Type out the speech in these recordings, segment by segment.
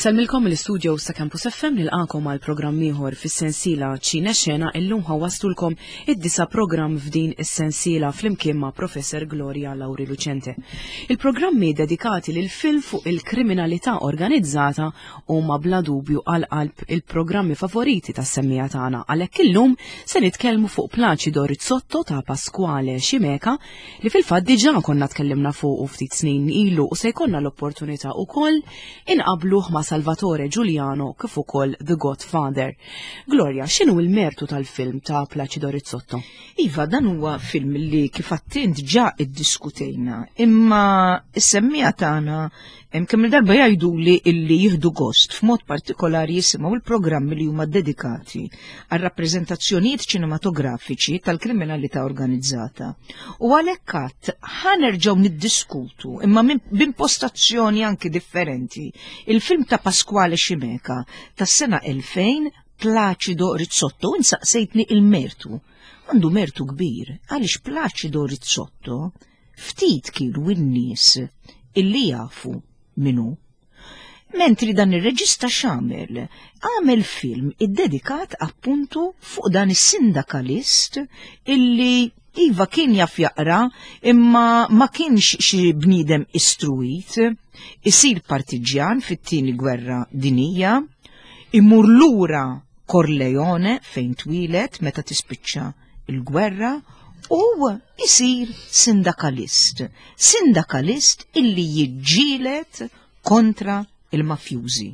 Insellmilkom mill-istudio sa Campus FM nilqakom għal programm ieħor fis-sensiela Ċine Xena illum ħawaslulkom id-disa programm f'din is-sensiela flimkien ma' Professor Gloria Lauri Lucente. Il-programmi dedikati lil film fuq il-kriminalità organizzata huma bla dubju għal qalb il-programmi favoriti tas-semmija tagħna għalhekk illum se nitkellmu fuq Placido Rizzotto ta' Pasquale Ximeka li fil-fatt diġà konna tkellimna fuqu ftit snin ilu u se jkollna l-opportunità wkoll inqabluh ma' Salvatore Giuliano kif ukoll The Godfather. Gloria, x'inhu l-mertu tal-film ta' Placido Rizzotto? Iva, dan huwa film li kif attint ġa iddiskutejna, imma s-semmija tagħna kemm il-darba jgħiduli illi jieħdu gost f'mod partikolari jisimgħu il-programmi li huma dedikati għal rappreżentazzjonijiet ċinematografiċi tal-kriminalità organizzata. U għalhekk għadd ħanerġgħu niddiskutu imma b'impostazzjoni anki differenti il-film ta' Pasquale Ximeka tas-sena 2000 Placido Rizzotto u insaqsejtni il-mertu. Għandu mertu kbir għaliex Placido Rizzotto Ftit kienu n-nies illi jafu min hu. Mentri dan ir-reġista x'għamel? Għamel film iddedikat appuntu fuq dan is-sindakalist illi iva kien jaf jaqra imma ma kienx xi bniedem istruit, isir partiġjan fit-tieni gwerra dinija, imur lura Corleone fejn twieled meta tispiċċa il-gwerra u isir sindakalist. Sindakalist illi jiġġieled kontra il-mafjużi.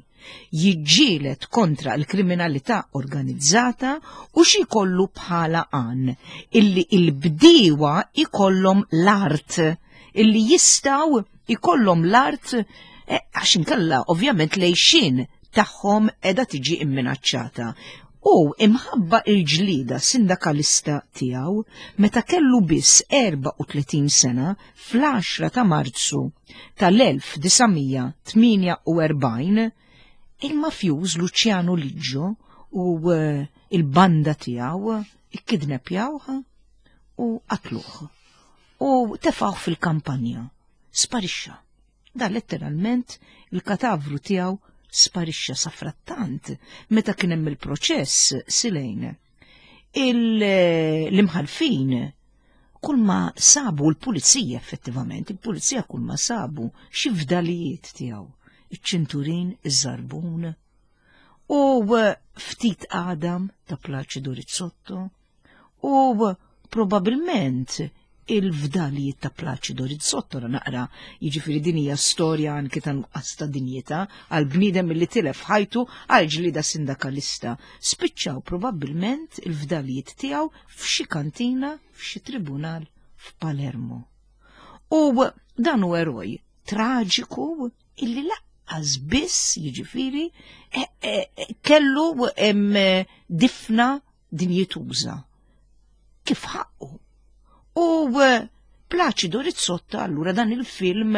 Jiġġieled kontra l-kriminalità organizzata u xi jkollu bħala għan illi il-bdiewa ikollhom l-art illi jistgħu ikollhom l-art eh, għax inkella ovvjament lejxin tagħhom qiegħda tiġi imminaċċata. U imħabba il-ġlida sindakalista tiegħu meta kellu biss 34 sena fl-10 ta' Marzu tal-1948 il-mafjuż Luciano Liggio u eh, il-banda tiegħu ikkidnepjawh u qatluh u tefgħuh fil-kampanja. Sparixxa. Da letteralment il-katavru tiegħu sparixxa safrattant meta kien hemm il-proċess silejn. L-imħalfin kull ma sabu l-pulizija effettivament, il-pulizija kull ma sabu xi fdalijiet tiegħu, iċ-ċinturin, iż-żarbun, u ftit għadam ta' Plaċidu Rizzotto, U probabilment il-fdalijiet ta' Placido Rizzotto naqra, jiġifieri din hija storja anki ta' nuqqas ta' dinjità għal bniedem li tilef ħajtu għal ġlida sindakalista. Spiċċaw probabbilment il-fdalijiet tiegħu f'xi kantina f'xi tribunal f'Palermo. U dan hu eroj traġiku illi laqqas biss jiġifieri e, e, e, kellu difna dinjituża kif ħaqqu. U eh, Placido Rizzotta allura dan il-film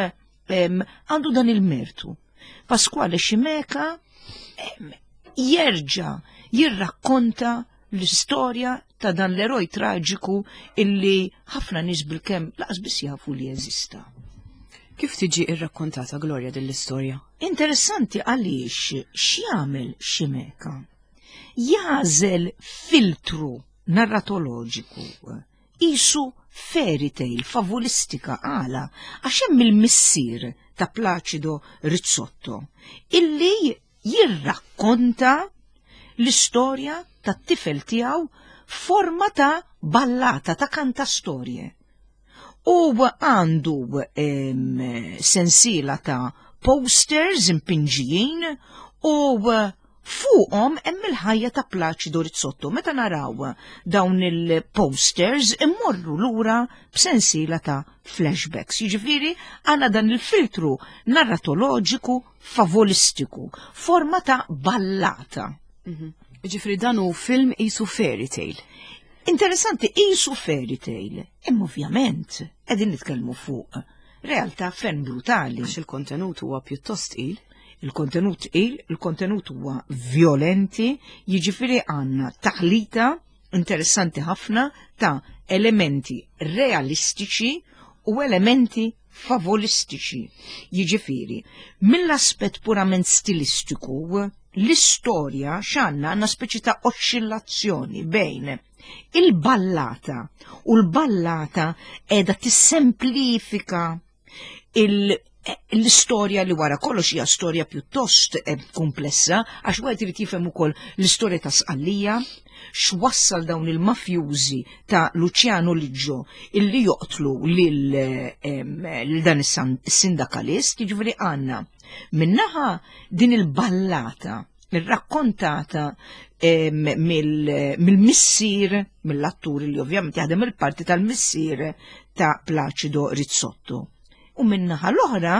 għandu dan il-mertu. Pasquale Ximeka jerġa' jirrakkonta l-istorja ta' dan l-eroj traġiku illi ħafna nies bil-kemm laqas biss jafu li jeżista. Kif tiġi irrakkontata Gloria din l-istorja? Interessanti għaliex x'jagħmel Ximeka? Jagħżel filtru narratoloġiku qisu fairy tale favulistika għala għax hemm il-missier ta' Placido Rizzotto illi jirrakkonta l-istorja tat-tifel tiegħu f'forma ta' ballata ta' kantastorje. U għandu sensiela ta' posters impinġijin u fuqhom hemm il-ħajja ta' Placido Rizzotto. Meta naraw dawn il-posters immorru lura b'sensiela ta' flashbacks. Jiġifieri għandna dan il-filtru narratoloġiku favolistiku, forma ta' ballata. Mhm. Jiġifieri dan hu film qisu fairy tale. Interessanti qisu fairy tale, imma ovvjament qegħdin nitkellmu fuq realtà ferm brutali. Għax il-kontenut huwa pjuttost tqil. Il-kontenut tqil, il-kontenut huwa violenti, jiġifieri għandna taħlita interessanti ħafna ta' elementi realistiċi u elementi favolistiċi. Jiġifieri, mill-aspett purament stilistiku, l-istorja x'għandna għandna speċi ta' oxxillazzjoni bejn il-ballata u l-ballata qiegħda tissemplifika l-istorja li wara kollox hija storja pjuttost eh, komplessa għax wieħed irid jifhem ukoll l-istorja ta' Sqallija, x'wassal dawn il-mafjużi ta' Luciano Liggio illi joqtlu lil dan is-sindakalist, jiġifieri għandna minnaħa din il-ballata irrakkontata mill-missier, mill-attur li ovvjament jaħdem il-parti tal-missier ta' Placido Rizzotto. U minnaħa l-oħra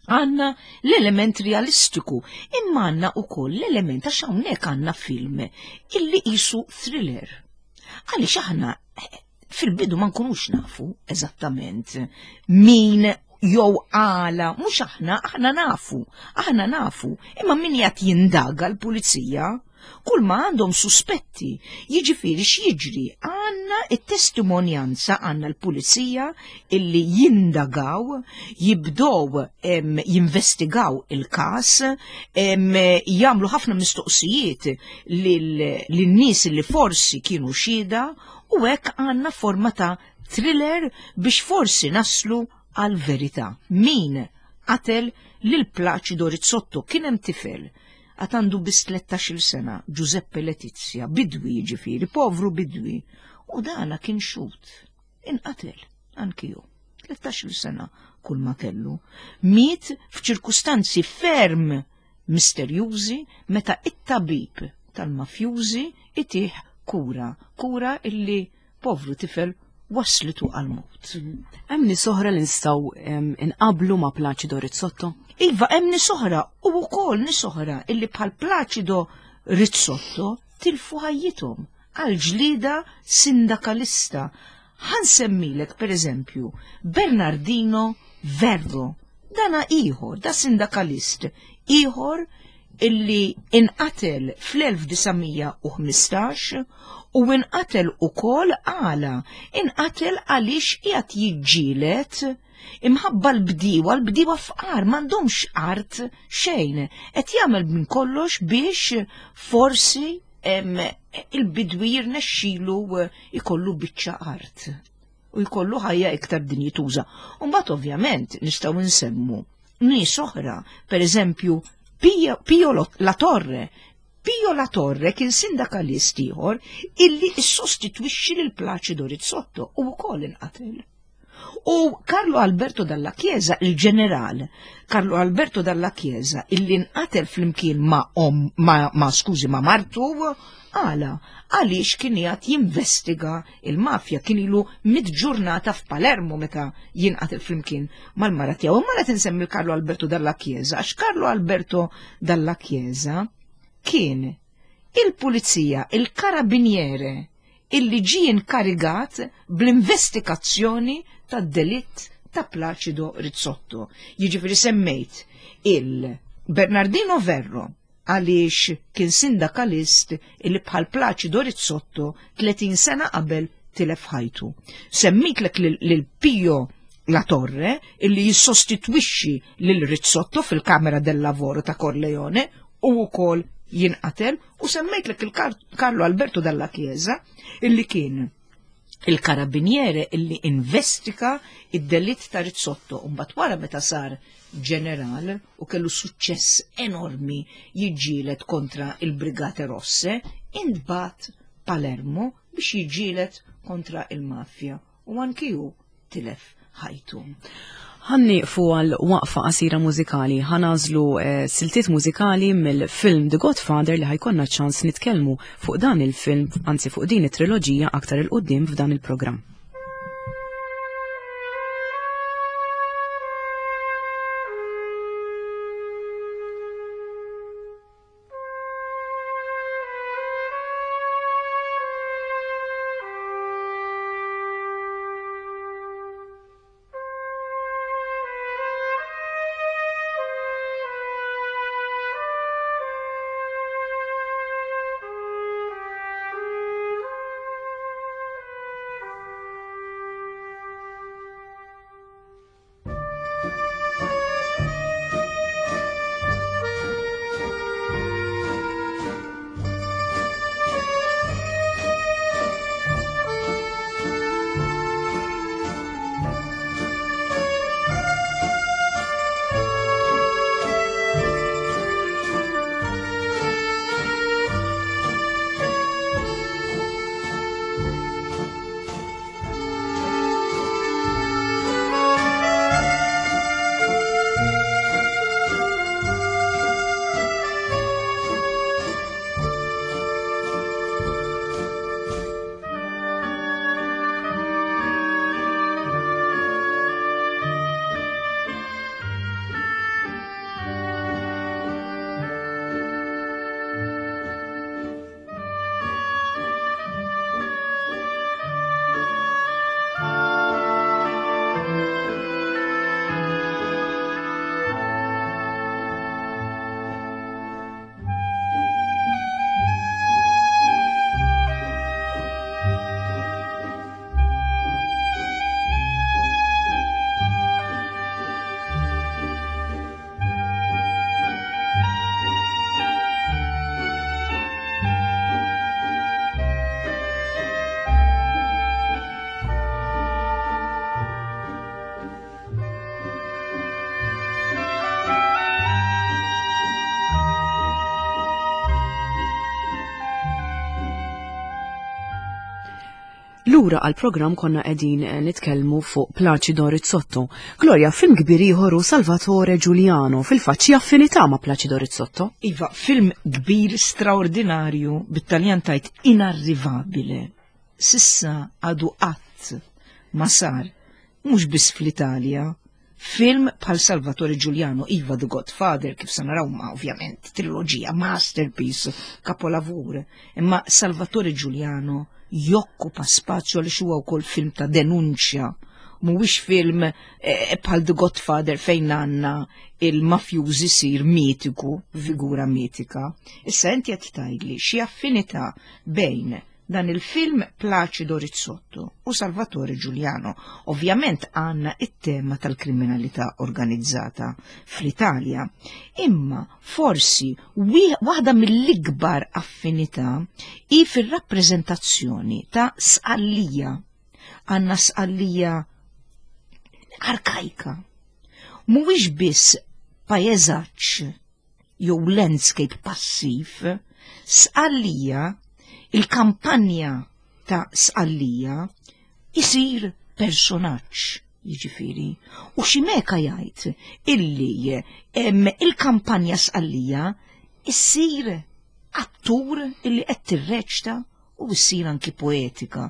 għanna l-element realistiku, imma għanna u koll l-element għax hawnhekk għanna film illi qisu thriller. Għaliex aħna eh, fil-bidu ma nkunux nafu eżattament min jew għala, mhux aħna, aħna nafu, aħna nafu, imma min jgħat jindaga l-pulizija, kull ma għandhom suspetti, jiġifieri x'jiġri, għandna it-testimonjanza għandna l-pulizija illi jindagaw, jibdow jinvestigaw il-każ, jagħmlu ħafna mistoqsijiet lin-nies li forsi kienu xhieda u hekk għandna forma ta' thriller biex forsi naslu għal verità. Min qatel lil Placido Rizzotto kien hemm tifel għad għandu biss 13-il sena, Giuseppe Letizia, bidwi jiġifieri, povru bidwi. U dana kien xut, inqatel, anki hu. 13-il sena kull ma kellu. Miet f'ċirkustanzi ferm misterjużi meta it-tabib tal-mafjużi itih kura, kura illi povru tifel waslitu għal-mut. Hemm nies oħra li nistgħu inqablu ma' Placido Rizzotto? Iva, hemm nies oħra u wkoll nies oħra illi bħal Placido Rizzotto tilfu ħajjithom għal ġlida sindakalista. Ħansemmilek per eżempju Bernardino Verro, dana ieħor, da sindakalist ieħor illi inqatel fl-1915 u inqatel ukoll għala, inqatel għaliex qiegħed jiġġieled imħabba l-bdiewa, l-bdiewa fqar m'għandhomx art xejn, qed jagħmel minn kollox biex forsi il-bidwi jirnexxilu ikollu biċċa art u jkollu ħajja iktar dinjituża. U mbagħad ovvjament nistgħu nsemmu nies oħra, per eżempju Pio La Torre. Pio La Torre kien sindakalist ieħor illi ssostitwixxi lil Placido Rizzotto u wkoll inqatel. U Carlo Alberto Dalla Chiesa, il-ġeneral Carlo Alberto Dalla Chiesa, illi nqatel flimkien ma' om, ma, ma skużi, ma' martu, għala, għaliex kien jgħat jinvestiga il-mafja, kien ilu mit ġurnata f'Palermo meta jinqatel flimkien mal-mara tiegħu. Imma qed insemmi Carlo Alberto Dalla Chiesa, għax Carlo Alberto Dalla Chiesa kien il-pulizija, il-karabiniere illi ġie inkarigat bl-investigazzjoni tad-delitt ta' Placido Rizzotto. Jiġifieri semmejt il-Bernardino Verro għaliex kien sindakalist illi bħal Placido Rizzotto 30 sena qabel tilef ħajtu. Semmitlek lil Pio La Torre illi jissostitwixxi lil Rizzotto fil-Kamera del Lavoro ta' Corleone u wkoll jinqatel u semmejtlek il-Carlo Alberto Dalla Chiesa illi kien il-karabiniere illi investika id-delitt ta' Rizzotto u mbagħad wara meta sar ġeneral u kellu suċċess enormi jiġġieled kontra il-Brigate Rosse, intbagħat Palermo biex jiġġieled kontra il-mafja u anki hu tilef ħajtu. Ħa nieqfu għal waqfa qasira mużikali, ħa nagħżlu eh, siltiet mużikali mill-film The Godfather li ħa jkollna ċans nitkellmu fuq dan il-film, anzi fuq din it-triloġija aktar 'il quddiem f'dan il-programm. Lura għall-programm konna qegħdin eh, nitkellmu fuq Placido Rizzotto. Gloria, film kbir ieħor hu Salvatore Giuliano, fil-fatt xi affinità ma' Placido Rizzotto. Iva, film kbir straordinarju bit-Taljan tajt inarrivabile. Sissa għadu qatt ma sar, mhux biss fl-Italja, Film bħal Salvatore Giuliano, iva The Godfather, kif se naraw ma ovvjament, triloġija, masterpiece, kapolavur. Imma Salvatore Giuliano jokkupa spazju għaliex huwa wkoll film ta' denunċja. Mhuwiex film eh, bħal The Godfather fejn għandna il-mafjużi sir mitiku, figura mitika. Issa inti qed tgħidli xi affinità bejn dan il-film Placido Rizzotto u Salvatore Giuliano. Ovvjament għandna it-tema tal-kriminalità organizzata fl-Italja. Imma forsi waħda mill-ikbar affinità hi fir-rappreżentazzjoni ta' Sqallija. Għandna Sqallija arkajka. Mhuwiex biss pajeżaġġ jew landscape passiv, Sqallija, il-kampanja ta' Sqallija isir personaġġ, jiġifieri. U xi meka jgħid illi il-kampanja Sqallija issir attur illi qed tirreċta u ssir anki poetika.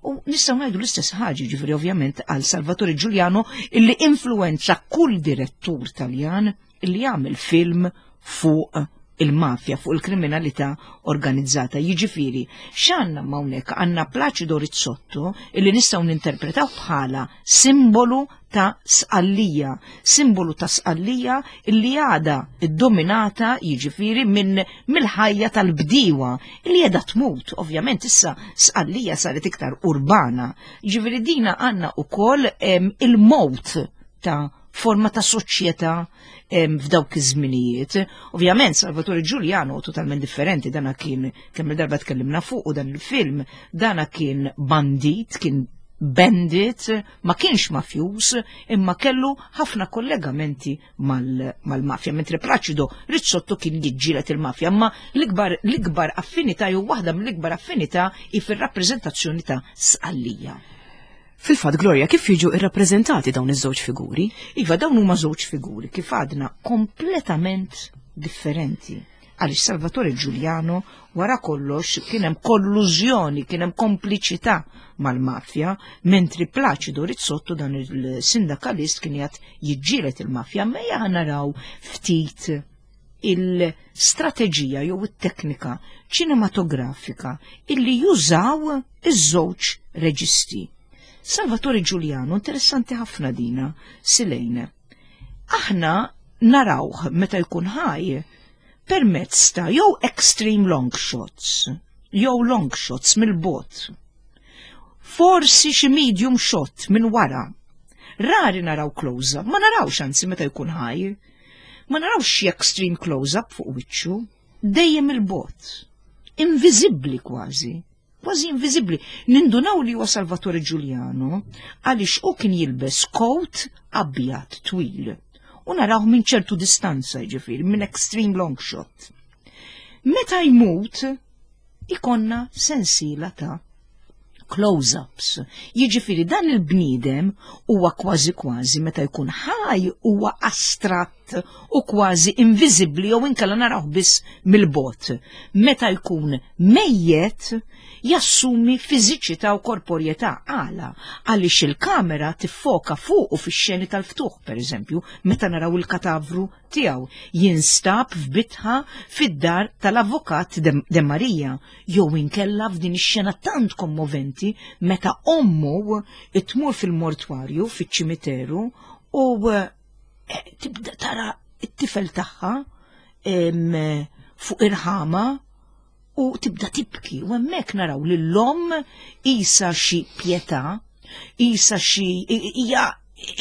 U nistgħu ngħidu l-istess ħaġa, ġifieri ovvjament għal Salvatore Giuliano illi influenza kull direttur Taljan illi jagħmel film fuq il-mafja, fuq il-kriminalità organizzata. Jiġifieri, x'għandna hawnhekk għandna Placido Rizzotto illi nistgħu ninterpretaw bħala simbolu ta' Sqallija, simbolu ta' Sqallija illi għada iddominata jiġifieri minn mill-ħajja tal-bdiewa illi qiegħda tmut. Ovvjament issa Sqallija saret iktar urbana. Jiġifieri dina għandna wkoll il-mowt ta' forma ta' soċjetà f'dawk iż-żminijiet. Ovvjament Salvatore Giuliano totalment differenti dana kien kemm il-darba tkellimna fuq u dan il-film, dana kien bandit, kien bandit, ma kienx mafjus, imma kellu ħafna kollegamenti mal-mafja. Mentre Placido Rizzotto kien jiġġieled il-mafja, imma l-ikbar affinità jew waħda mill-ikbar affinità hi fir-rappreżentazzjoni ta' Sqallija. Fil-fatt, Gloria, kif jiġu irrappreżentati dawn iż-żewġ figuri? Iva, dawn huma żewġ figuri kif għadna kompletament differenti. Għaliex Salvatore Giuliano wara kollox kien hemm kollużjoni, kien hemm kompliċità mal-mafja, mentri Placido Rizzotto dan il-sindakalist kien jgħat jiġġieled il-mafja, ma naraw ftit il-strateġija jew it-teknika ċinematografika illi jużaw iż-żewġ reġisti. Salvatore Giuliano, interessanti ħafna dina, Silejne. Aħna narawh meta jkun ħaj permezz ta' jew extreme long shots, jew long shots mill-bot. Forsi xi medium shot minn wara. Rari naraw close-up, ma narawx anzi meta jkun ħaj. Ma narawx xi extreme close-up fuq wiċċu, dejjem il-bot. Inviżibbli kważi kważi inviżibbli. Nindunaw li huwa Salvatore Giuliano għaliex hu kien jilbes coat abjad twil u narawh minn ċertu distanza ġifieri, minn extreme long shot. Meta jmut ikonna sensiela ta' close-ups. Jiġifieri dan il-bniedem huwa kważi kważi meta jkun ħaj huwa astratt u kważi inviżibbli jew inkella narawh biss mill-bot. Meta jkun mejjet jassumi fiżiċità u korporjetà għala għaliex il-kamera tiffoka fuqu fix-xeni tal-ftuħ, pereżempju, meta naraw il-katavru tiegħu jinstab f'bitħa fid-dar tal-avukat De Maria jew inkella f'din ix-xena tant kommoventi meta ommu tmur fil-mortwarju fiċ-ċimiteru u eh, tibda tara it-tifel tagħha fuq irħama u tibda tibki u hemmhekk naraw li l-omm isa xi pietà, isa xi hija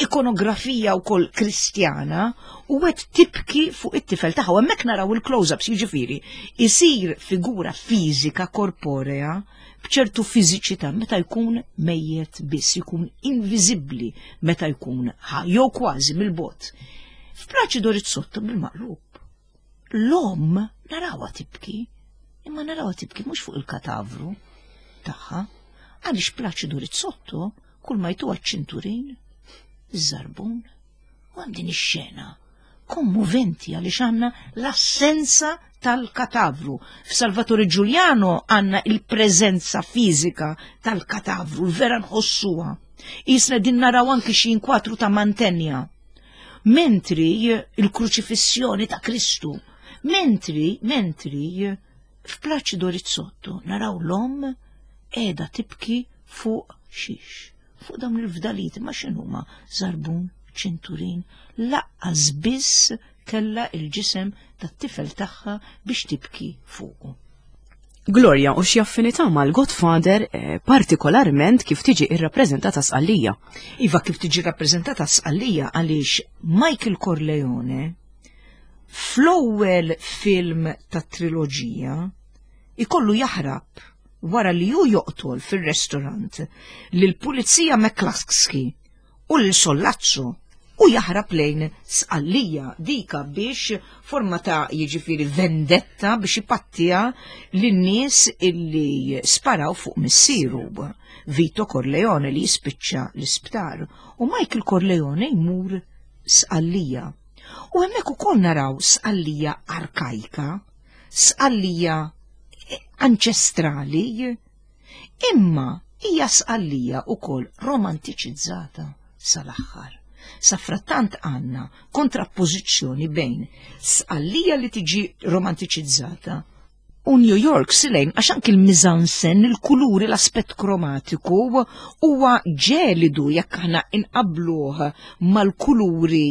ikonografija wkoll kristjana u qed tibki fuq it-tifel tagħha u hemmhekk naraw il-close-ups jiġifieri isir figura fiżika korporea b'ċertu fiżiċità meta jkun mejjet biss, jkun inviżibbli meta jkun ħaj jew kważi mill-bogħod. F'Plaċido Rizzotto bil-maqlub. L-omm narawha tibki, imma narawha tibki mhux fuq il-katavru tagħha. Għaliex Plaċidu Rizzotto kull ma jtuha ċ-ċinturin, iż-żarbun, u hemm din ix-xena kommoventi għaliex għandna l-assenza tal-katavru. F'Salvatore Giuliano għandna il-preżenza fiżika tal-katavru, vera nħossuha. Jisna din naraw anki xi inkwatru ta' Mantenja. Mentri il-kruċifissjoni ta' Kristu, mentri, mentri f'Plaċido Rizzotto naraw l-omm qiegħda tibki fuq xiex, fuq dawn il-fdalijiet ma x'inhuma żarbun, ċinturin, laqqas biss kellha il-ġisem tat-tifel tagħha biex tibki fuqu. Gloria u xi affinità mal-Godfather eh, partikolarment kif tiġi irrappreżentata Sqallija. Iva kif tiġi rappreżentata Sqallija għaliex Michael Corleone fl-ewwel film tat-triloġija ikollu jaħrab wara li hu joqtol fir-restorant lill-pulizija McCluskey u lil Sollazzo u jaħrab lejn Sqallija dika biex forma ta' jiġifieri vendetta biex ipattija lin-nies illi sparaw fuq missieru Vito Corleone li jispiċċa l-isptar u Michael Corleone jmur Sqallija. U hemmhekk ukoll naraw Sqallija arkajka, Sqallija anċestrali, Imma hija Sqallija wkoll romantiċizzata sal-aħħar. Safrattant għandna kontrappożizzjoni bejn Sqallija li tiġi romantiċizzata u New York silejn għax anki l-mizansen, il-kuluri, l-aspett kromatiku huwa ġelidu jekk aħna inqabluh mal-kuluri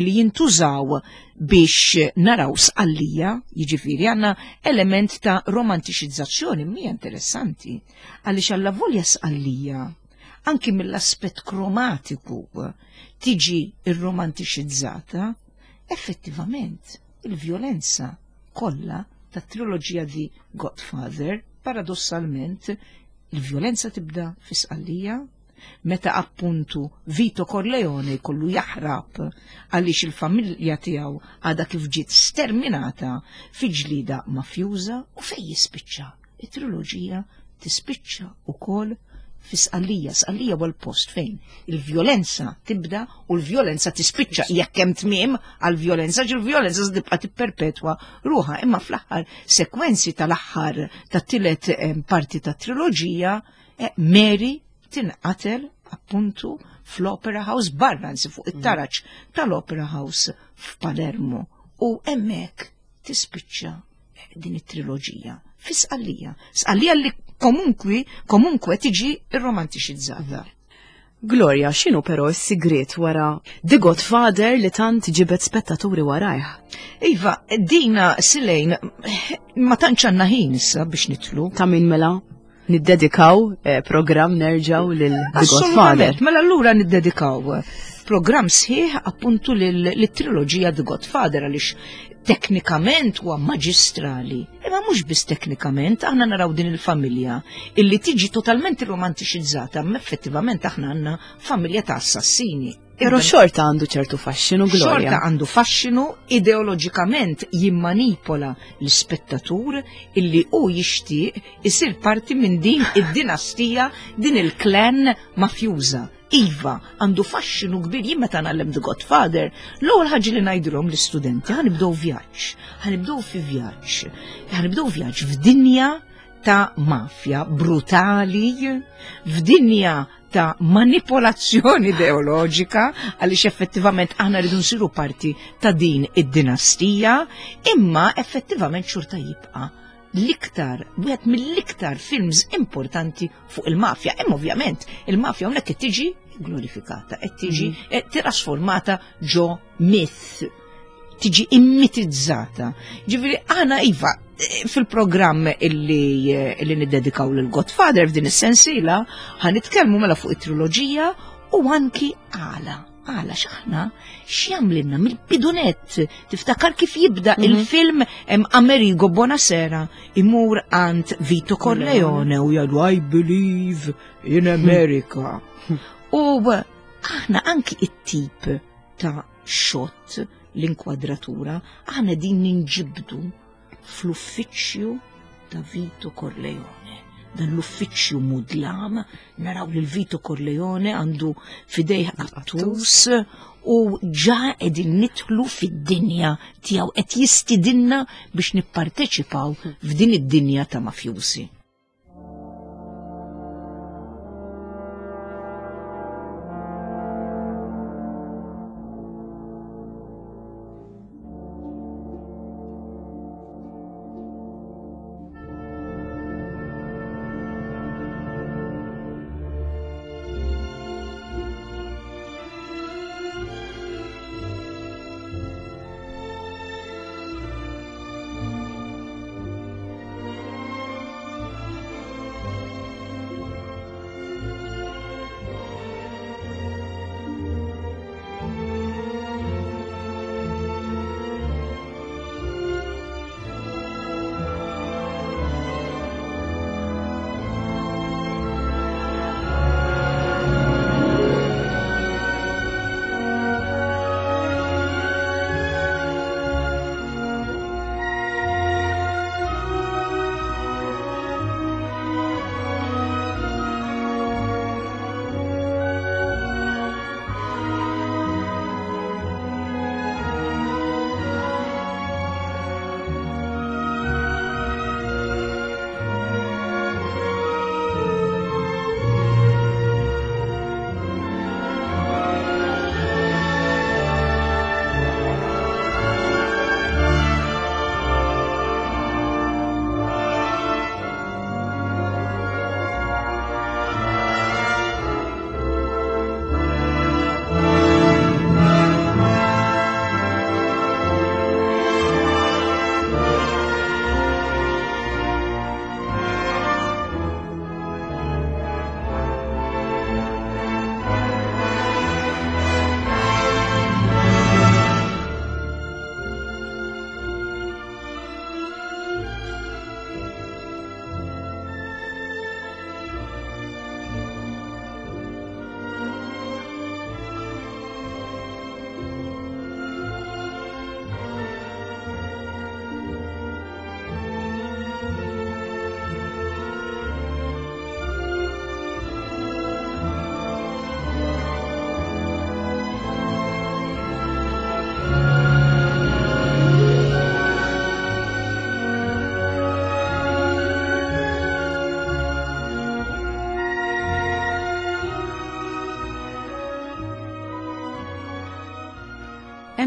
li jintużaw biex naraw Sqallija, jiġifieri għandna element ta' romantiċizzazzjoni mija interessanti, għaliex allavolja Sqallija anki mill-aspett kromatiku tiġi irromantiċizzata, effettivament il-vjolenza kollha tat-triloġija The Godfather, paradossalment, il-vjolenza tibda fi Sqallija, meta appuntu Vito Corleone jkollu jaħrab għaliex il-familja tiegħu għadha kif ġiet sterminata fi ġlieda mafjuża u fejn jispiċċa. It-triloġija tispiċċa wkoll fi Sqallija. Sqallija huwa l-post fejn il-vjolenza tibda u l-vjolenza tispiċċa jekk hemm tmiem għall-vjolenza, ġi l-vjolenza tibqa' tipperpetwa ruħha, imma fl-aħħar sekwenzi tal-aħħar tat-tielet eh, parti tat-triloġija Eh, Mary tinqatel appuntu fl-Opera House barra nsi fuq it-taraġ mm. tal-Opera House f'Palermo u hemmhekk tispiċċa eh, din it-triloġija fi Sqallija. Sqallija li komunkwi komunkwe tiġi irromantiċizzata. Mm. Gloria, x'inhu però s-sigriet wara The Godfather li tant ġibed spettaturi warajh? Iva, dina silejn ma tantx għandna ħin issa biex nitlu. Ta' min mela? Niddedikaw eh, programm nerġaw lil The Godfather. Mela allura niddedikaw eh, programm sħiħ appuntu lill-triloġija The Godfather għaliex teknikament huwa maġistrali. Imma mhux biss teknikament, aħna naraw din il-familja illi tiġi totalment romantiċizzata, ma effettivament aħna għandna familja ta' assassini. Però xorta għandu ċertu faxxinu, Gloria. Xorta għandu faxxinu, ideoloġikament jimmanipola l-ispettatur illi hu jixtieq isir parti minn din id-dinastija, din il-klan mafjuża. Iva, għandu faxxinu kbir jien meta ngħallem The Godfather, l-ewwel ħaġa li ngħidilhom l-istudenti ħanibdew vjaġġ, ħanibdew fi vjaġġ, ħanibdew vjaġġ f'dinja ta' mafja brutali, f'dinja ta' manipolazzjoni ideoloġika għaliex effettivament aħna rridu nsiru parti ta' din id-dinastija, imma effettivament xorta jibqa' l-iktar, wieħed mill-iktar films importanti fuq il-mafja. Imma ovvjament il-mafja hawnhekk qed tiġi glorifikata, qed tiġi mm. eh, trasformata ġo myth, tiġi immitizzata. Ġifieri aħna iva eh, fil-programm illi, eh, illi niddedikaw lil Godfather f'din is-sensiela ħanitkellmu mela fuq it-triloġija u anki għala Għala x'aħna x'jagħmlilna mill-bidunet tiftakar kif jibda mhm. il-film Amerigo Bonasera imur għand Vito Corleone u jgħidu I believe in America. U aħna anki it-tip ta' xot l-inkwadratura aħna din ninġibdu fl-uffiċċju ta' Vito Corleone. Dan l-uffiċċju mudlam, naraw lil Vito Corleone għandu fidejh qattus u ġa qegħdin nidħlu fid-dinja tiegħu qed jistidinna biex nipparteċipaw f'din id-dinja ta' mafjużi.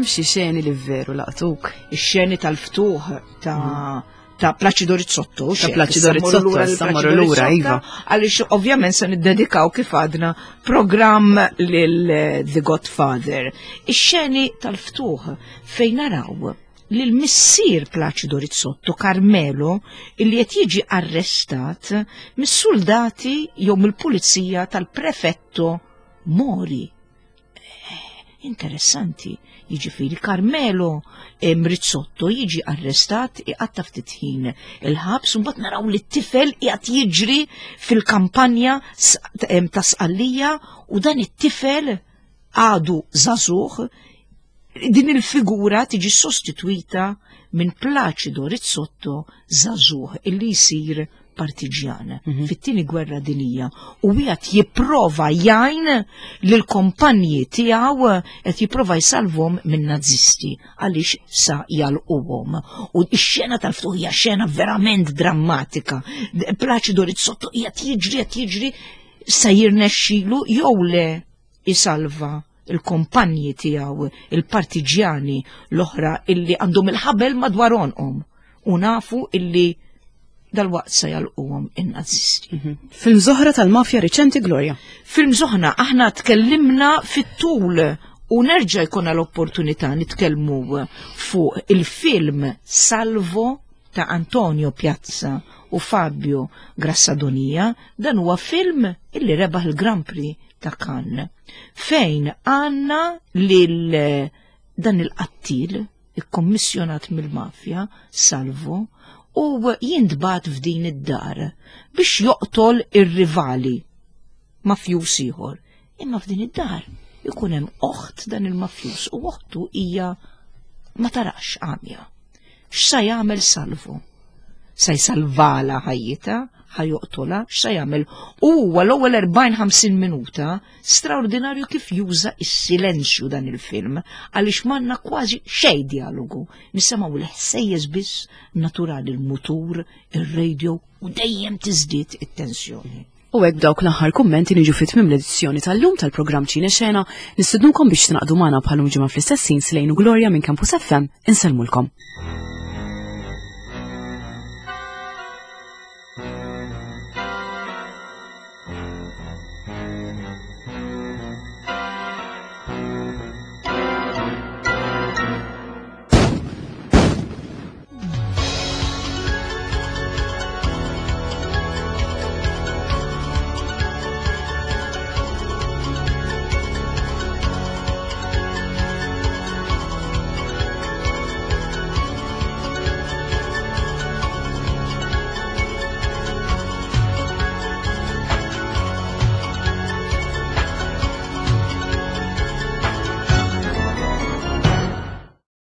Hemm xi xeni li veru laqtuk. Ix-xeni tal-ftuħ ta' mm. ta' Placido Rizzotto. Ta' Placido Rizzotto, sammorru lura, iva. Għaliex ovvjament se niddedikaw kif għadna programm lil eh, The Godfather. Ix-xeni tal-ftuħ fejn naraw li l-missier Placido Rizzotto, Carmelo, illi qed jiġi arrestat mis-soldati jew mill-pulizija tal-prefetto Mori. Interessanti, jiġifieri Carmelo Rizzotto jiġi arrestat iqatta' ftit ħin il-ħabs u mbagħad naraw li t-tifel qiegħed jiġri fil-kampanja ta' Sqallija u dan it-tifel għadu żagħżugħ din il-figura tiġi sostitwita minn Placido Rizzotto żagħżugħ illi jsir partiġjan mm -hmm. fit-tieni gwerra dinija u wieħed jipprova jgħin lil kompanji tiegħu qed jipprova jsalvhom minn nazisti għaliex sa jalquhom. U x-xena tal-ftuħ hija xena verament drammatika. Placido Rizzotto qiegħed jiġri qed jiġri sa jirnexxilu jew le isalva il-kompanji tiegħu, il-partiġjani l-oħra illi għandhom il-ħabel madwar għonqhom u nafu illi dal-waqt se jalquhom in-nazisti. Mhm. Film zoħra tal-mafja riċenti Gloria. Film zoħna aħna tkellimna fit-tul u nerġa' jkollna l-opportunità nitkellmu fuq il-film Salvo ta' Antonio Piazza u Fabio Grassadonia, dan huwa film illi rebaħ il-Grand Prix ta' Cannes, fejn għanna lil dan il-qattil ikkommissjonat mill-mafja, Salvo, u jintbat f'din id-dar biex joqtol ir-rivali mafjus ieħor. Imma f'din id-dar ikun hemm oħt dan il-mafjus u oħtu hija ma tarax għamja. X'sa jagħmel Salvo? Sa jsalvala ħajjitha, ħa joqtolha, x'sa jagħmel? U huwa l-ewwel 40-50 minuta straordinarju kif juża s-silenzju dan il-film għaliex m'għandna kważi xejn dialogu. Nisimgħu l-ħsejjes biss naturali l-mutur, ir-radio u dejjem tiżdied it-tensjoni. U hekk dawk l-aħħar kummenti niġu fit tmiem l-edizzjoni tal-lum tal-programm Ċine Xena, nistednukom biex tingħaqdu magħna bħalum ġimgħa fl-istess ħin Slejn u Gloria minn Campus FM insellmulkom.